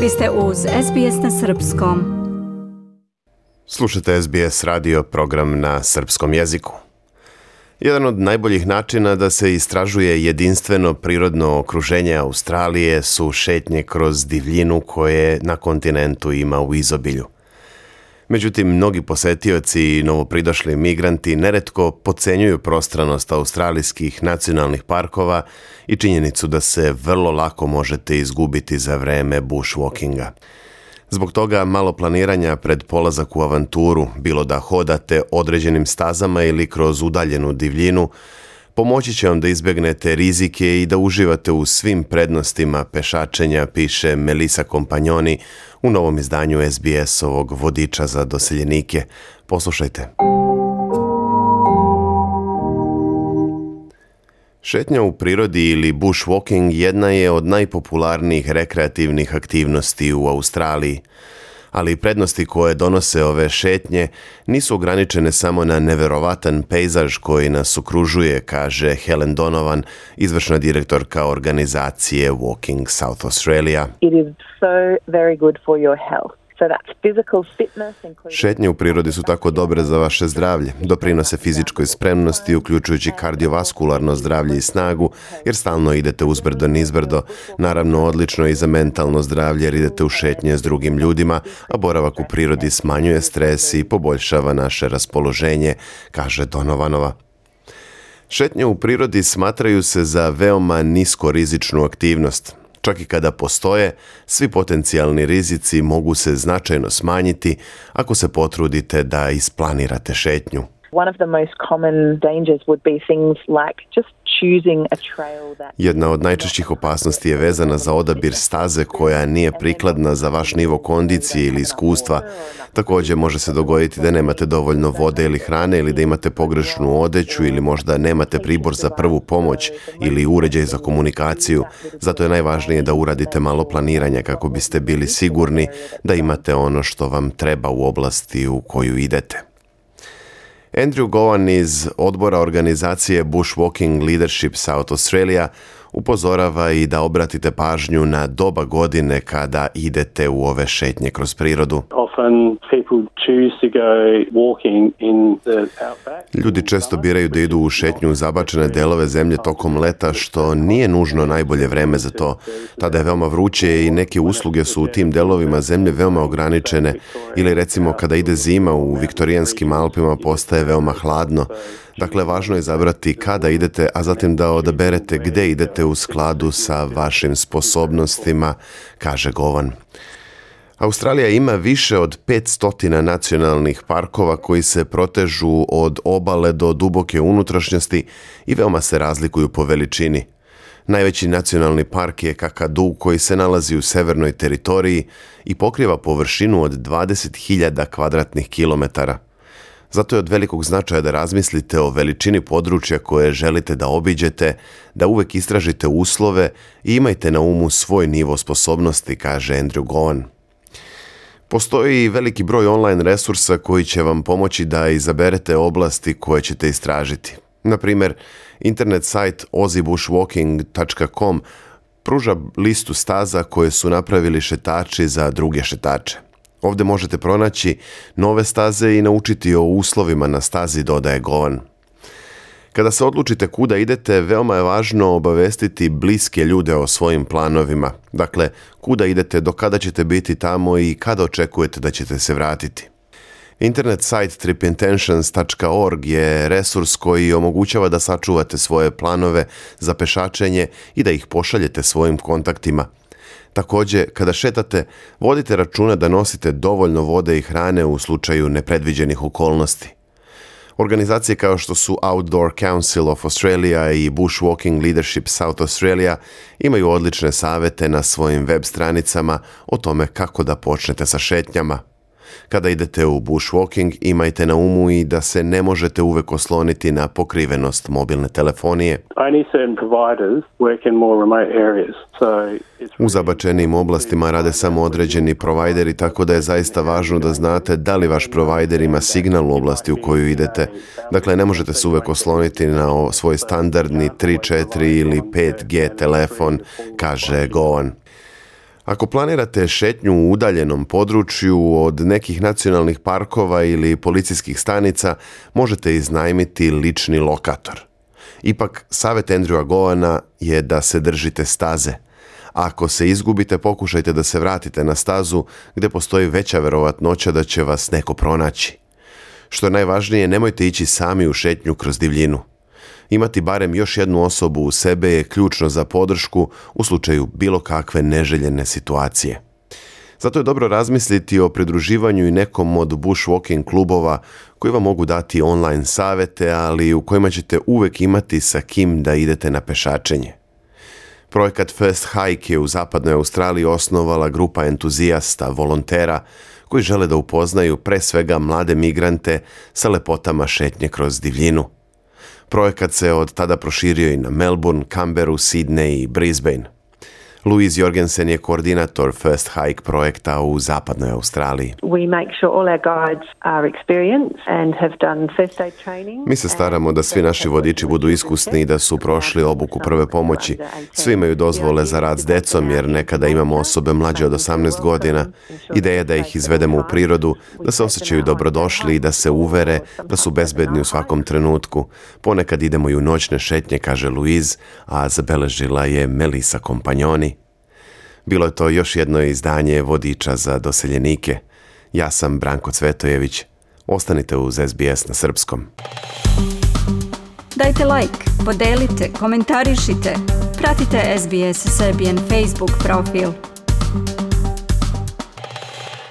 Vi ste uz SBS na srpskom. Slušate SBS radio, program na srpskom jeziku. Jedan od najboljih načina da se istražuje jedinstveno prirodno okruženje Australije su šetnje kroz divljinu koje na kontinentu ima u izobilju. Međutim, mnogi posetioci i novopridošli migranti neretko podcenjuju prostranost australijskih nacionalnih parkova i činjenicu da se vrlo lako možete izgubiti za vreme bushwalkinga. Zbog toga malo planiranja pred polazak u avanturu, bilo da hodate određenim stazama ili kroz udaljenu divljinu, pomoći će vam da izbjegnete rizike i da uživate u svim prednostima pešačenja, piše Melissa Kompanjoni u novom izdanju SBS-ovog vodiča za doseljenike. Poslušajte. Šetnja u prirodi ili bushwalking jedna je od najpopularnijih rekreativnih aktivnosti u Australiji, ali prednosti koje donose ove šetnje nisu ograničene samo na neverovatan pejzaž koji nas okružuje, kaže Helen Donovan, izvršna direktorka organizacije Walking South Australia. It is so very good for your health. Šetnje u prirodi su tako dobre za vaše zdravlje, doprinose fizičkoj spremnosti, uključujući kardiovaskularno zdravlje i snagu, jer stalno idete uzbrdo nizbrdo, naravno odlično i za mentalno zdravlje jer idete u šetnje s drugim ljudima, a boravak u prirodi smanjuje stres i poboljšava naše raspoloženje, kaže Donovanova. Šetnje u prirodi smatraju se za veoma niskorizičnu aktivnost. Čak i kada postoje, svi potencijalni rizici mogu se značajno smanjiti ako se potrudite da isplanirate šetnju. Jedna od najčešćih opasnosti je vezana za odabir staze koja nije prikladna za vaš nivo kondicije ili iskustva. Također može se dogoditi da nemate dovoljno vode ili hrane ili da imate pogrešnu odeću ili možda nemate pribor za prvu pomoć ili uređaj za komunikaciju. Zato je najvažnije da uradite malo planiranja kako biste bili sigurni da imate ono što vam treba u oblasti u koju idete. Andrew Gowan iz odbora organizacije Bushwalking Leadership South Australia upozorava i da obratite pažnju na doba godine kada idete u ove šetnje kroz prirodu. Ljudi često biraju da idu u šetnju u zabačene delove zemlje tokom leta, što nije nužno najbolje vreme za to. Tada je veoma vruće i neke usluge su u tim delovima zemlje veoma ograničene, ili recimo kada ide zima u Viktorijanskim Alpima postaje veoma hladno. Dakle, važno je izabrati kada idete, a zatim da odaberete gde idete u skladu sa vašim sposobnostima, kaže Govan. Australija ima više od 500 nacionalnih parkova koji se protežu od obale do duboke unutrašnjosti i veoma se razlikuju po veličini. Najveći nacionalni park je Kakadu koji se nalazi u severnoj teritoriji i pokriva površinu od 20.000 kvadratnih kilometara. Zato je od velikog značaja da razmislite o veličini područja koje želite da obiđete, da uvek istražite uslove i imajte na umu svoj nivo sposobnosti, kaže Andrew Gowan. Postoji veliki broj online resursa koji će vam pomoći da izaberete oblasti koje ćete istražiti. Na primjer, internet sajt aussiebushwalking.com pruža listu staza koje su napravili šetači za druge šetače. Ovdje možete pronaći nove staze i naučiti o uslovima na stazi, dodaje Govan. Kada se odlučite kuda idete, veoma je važno obavestiti bliske ljude o svojim planovima. Dakle, kuda idete, do kada ćete biti tamo i kada očekujete da ćete se vratiti. Internet sajt tripintentions.org je resurs koji omogućava da sačuvate svoje planove za pešačenje i da ih pošaljete svojim kontaktima. Također, kada šetate, vodite računa da nosite dovoljno vode i hrane u slučaju nepredviđenih okolnosti. Organizacije kao što su Outdoor Council of Australia i Bushwalking Leadership South Australia imaju odlične savjete na svojim web stranicama o tome kako da počnete sa šetnjama. Kada idete u bushwalking, imajte na umu i da se ne možete uvek osloniti na pokrivenost mobilne telefonije. U zabačenim oblastima rade samo određeni provajderi, tako da je zaista važno da znate da li vaš provajder ima signal u oblasti u koju idete. Dakle, ne možete se uvek osloniti na svoj standardni 3, 4 ili 5G telefon, kaže Govan. Ako planirate šetnju u udaljenom području od nekih nacionalnih parkova ili policijskih stanica, možete iznajmiti lični lokator. Ipak, savjet Andrewa Gowana je da se držite staze. Ako se izgubite, pokušajte da se vratite na stazu gdje postoji veća verovatnoća da će vas neko pronaći. Što je najvažnije, nemojte ići sami u šetnju kroz divljinu. Imati barem još jednu osobu u sebe je ključno za podršku u slučaju bilo kakve neželjene situacije. Zato je dobro razmisliti o pridruživanju i nekom od bushwalking klubova koji vam mogu dati online savjete, ali u kojima ćete uvijek imati sa kim da idete na pešačenje. Projekat First Hike je u zapadnoj Australiji osnovala grupa entuzijasta, volontera, koji žele da upoznaju pre svega mlade migrante sa lepotama šetnje kroz divljinu. Projekat se od tada proširio i na Melbourne, Canberru, Sydney i Brisbane. Louise Jorgensen je koordinator First Hike projekta u zapadnoj Australiji. We make sure all our guides are experienced and have done first aid training. Mi se staramo da svi naši vodiči budu iskusni i da su prošli obuku prve pomoći. Svi imaju dozvole za rad s decom jer nekada imamo osobe mlađe od 18 godina. Ideja je da ih izvedemo u prirodu, da se osjećaju dobrodošli i da se uvere da su bezbedni u svakom trenutku. Ponekad idemo i u noćne šetnje, kaže Louise, a zabeležila je Melissa Kompanjoni. Bilo je to još jedno izdanje vodiča za doseljenike. Ja sam Branko Cvetojević. Ostanite uz SBS na srpskom. Dajte like, podelite, komentarišite. Pratite SBS Serbian Facebook profil.